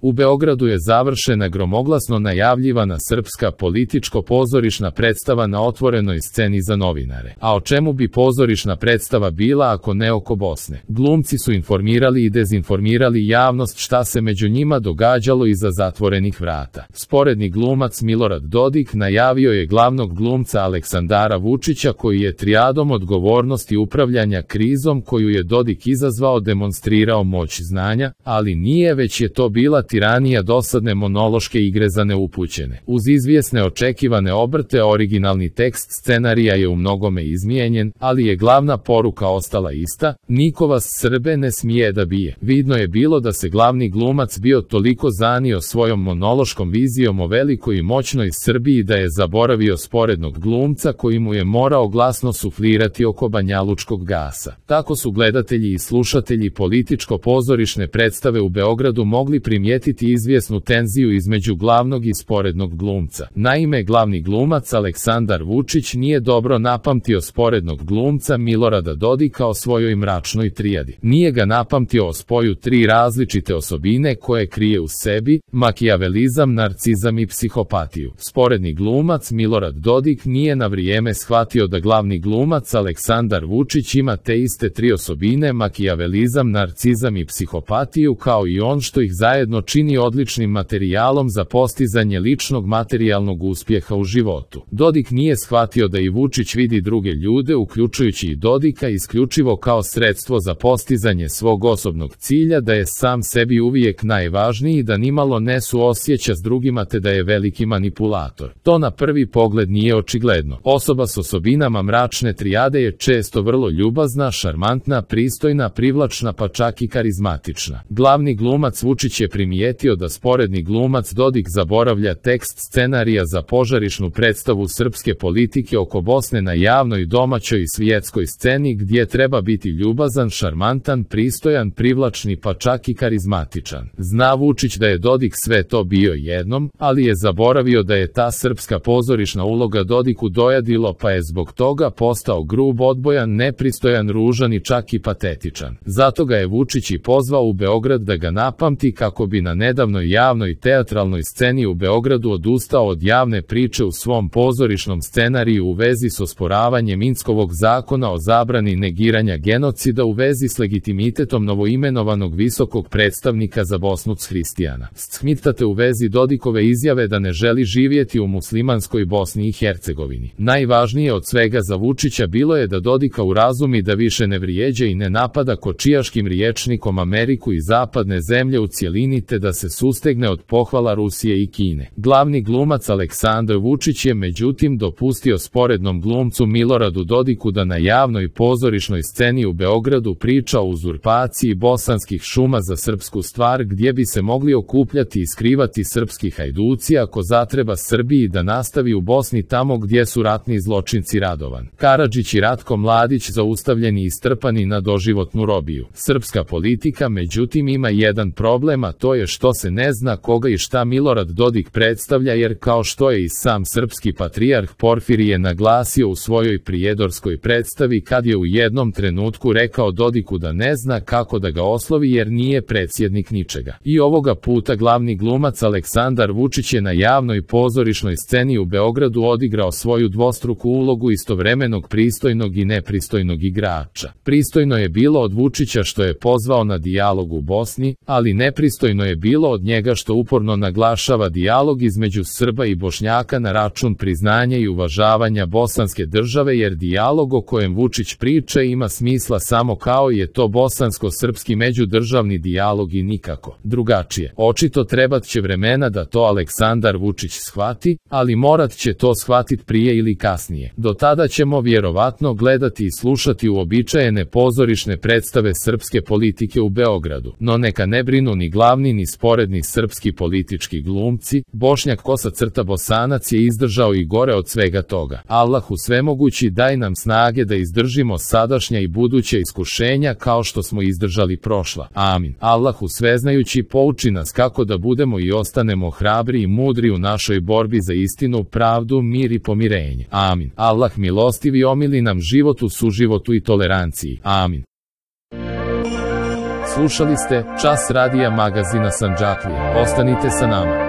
U Beogradu je završena gromoglasno najavljivana srpska političko-pozorišna predstava na otvorenoj sceni za novinare. A o čemu bi pozorišna predstava bila ako ne oko Bosne? Glumci su informirali i dezinformirali javnost šta se među njima događalo iza zatvorenih vrata. Sporedni glumac Milorad Dodik najavio je glavnog glumca Aleksandara Vučića koji je trijadom odgovornosti upravljanja krizom koju je Dodik izazvao demonstrirao moć znanja, ali nije, već je to bila tiranija dosadne monološke igre za neupućene. Uz izvjesne očekivane obrte originalni tekst scenarija je u mnogome izmijenjen, ali je glavna poruka ostala ista: niko vas Srbe ne smije da bije. Vidno je bilo da se glavni glumac bio toliko zanio svojom monološkom vizijom o velikoj i moćnoj Srbiji da je zaboravio sporednog glumca koji mu je morao glasno suflirati oko banjalučkog gasa. Tako su gledatelji i slušatelji političko-pozorišne predstave u Beogradu mogli primijetiti izvjesnu tenziju između glavnog i sporednog glumca. Naime, glavni glumac Aleksandar Vučić nije dobro napamtio sporednog glumca Milorada Dodika o svojoj mračnoj trijadi. Nije ga napamtio o spoju tri različite osobine koje krije u sebi: makijavelizam, narcizam i psihopatiju. Sporedni glumac Milorad Dodik nije na vrijeme shvatio da glavni glumac Aleksandar Vučić ima te iste tri osobine: makijavelizam, narcizam i psihopatiju, kao i on, što ih zajedno čini odličnim materijalom za postizanje ličnog materijalnog uspjeha u životu. Dodik nije shvatio da i Vučić vidi druge ljude, uključujući i Dodika, isključivo kao sredstvo za postizanje svog osobnog cilja, da je sam sebi uvijek najvažniji, da nimalo ne suosjeća s drugima te da je veliki manipulator. To na prvi pogled nije očigledno. Osoba s osobinama mračne trijade je često vrlo ljubazna, šarmantna, pristojna, privlačna, pa čak i karizmatična. Glavni glumac Vučić je primijetio da sporedni glumac Dodik zaboravlja tekst scenarija za požarišnu predstavu srpske politike oko Bosne na javnoj, domaćoj i svjetskoj sceni, gdje treba biti ljubazan, šarmantan, pristojan, privlačni, pa čak i karizmatičan. Zna Vučić da je Dodik sve to bio jednom, ali je zaboravio da je ta srpska pozorišna uloga Dodiku dojadilo, pa je zbog toga postao grub, odbojan, nepristojan, ružan i čak i patetičan. Zato ga je Vučić i pozvao u Beograd da ga napamti kako bi na nedavnoj javnoj teatralnoj sceni u Beogradu odustao od javne priče u svom pozorišnom scenariju u vezi s osporavanjem Inskovog zakona o zabrani negiranja genocida u vezi s legitimitetom novoimenovanog visokog predstavnika za Bosnu Hristijana. Shmitate u vezi Dodikove izjave da ne želi živjeti u muslimanskoj Bosni i Hercegovini. Najvažnije od svega za Vučića bilo je da Dodika urazumi da više ne vrijeđa i ne napada kočijaškim rječnikom Ameriku i zapadne zemlje u cjelini, te da se sustegne od pohvala Rusije i Kine. Glavni glumac Aleksandar Vučić je međutim dopustio sporednom glumcu Miloradu Dodiku da na javnoj pozorišnoj sceni u Beogradu priča o uzurpaciji bosanskih šuma za srpsku stvar, gdje bi se mogli okupljati i skrivati srpski hajduci ako zatreba Srbiji da nastavi u Bosni tamo gdje su ratni zločinci Radovan Karadžić i Ratko Mladić zaustavljeni i strpani na doživotnu robiju. Srpska politika međutim ima jedan problem, a to je što se ne zna koga i šta Milorad Dodik predstavlja, jer kao što je i sam srpski patrijarh Porfirije naglasio u svojoj prijedorskoj predstavi kad je u jednom trenutku rekao Dodiku da ne zna kako da ga oslovi jer nije predsjednik ničega. I ovoga puta glavni glumac Aleksandar Vučić je na javnoj pozorišnoj sceni u Beogradu odigrao svoju dvostruku ulogu istovremenog pristojnog i nepristojnog igrača. Pristojno je bilo od Vučića što je pozvao na dijalog u Bosni, ali nepristojno je bilo od njega što uporno naglašava dijalog između Srba i Bošnjaka na račun priznanja i uvažavanja bosanske države, jer dijalog o kojem Vučić priča ima smisla samo kao je to bosansko-srpski međudržavni dijalog i nikako drugačije. Očito trebat će vremena da to Aleksandar Vučić shvati, ali morat će to shvatiti prije ili kasnije. Do tada ćemo vjerovatno gledati i slušati uobičajene pozorišne predstave srpske politike u Beogradu, no neka ne brinu ni glavni ni sporedni srpski politički glumci. Bošnjak Bosanac je izdržao i gore od svega toga. Allahu svemogući daj nam snage da izdržimo sadašnja i buduća iskušenja kao što smo izdržali prošla. Amin. Allahu sveznajući pouči nas kako da budemo i ostanemo hrabri i mudri u našoj borbi za istinu, pravdu, mir i pomirenje. Amin. Allah milostivi omili nam život u suživotu i toleranciji. Amin. Slušali ste Čas radija magazina Sandžaklija. Ostanite sa nama.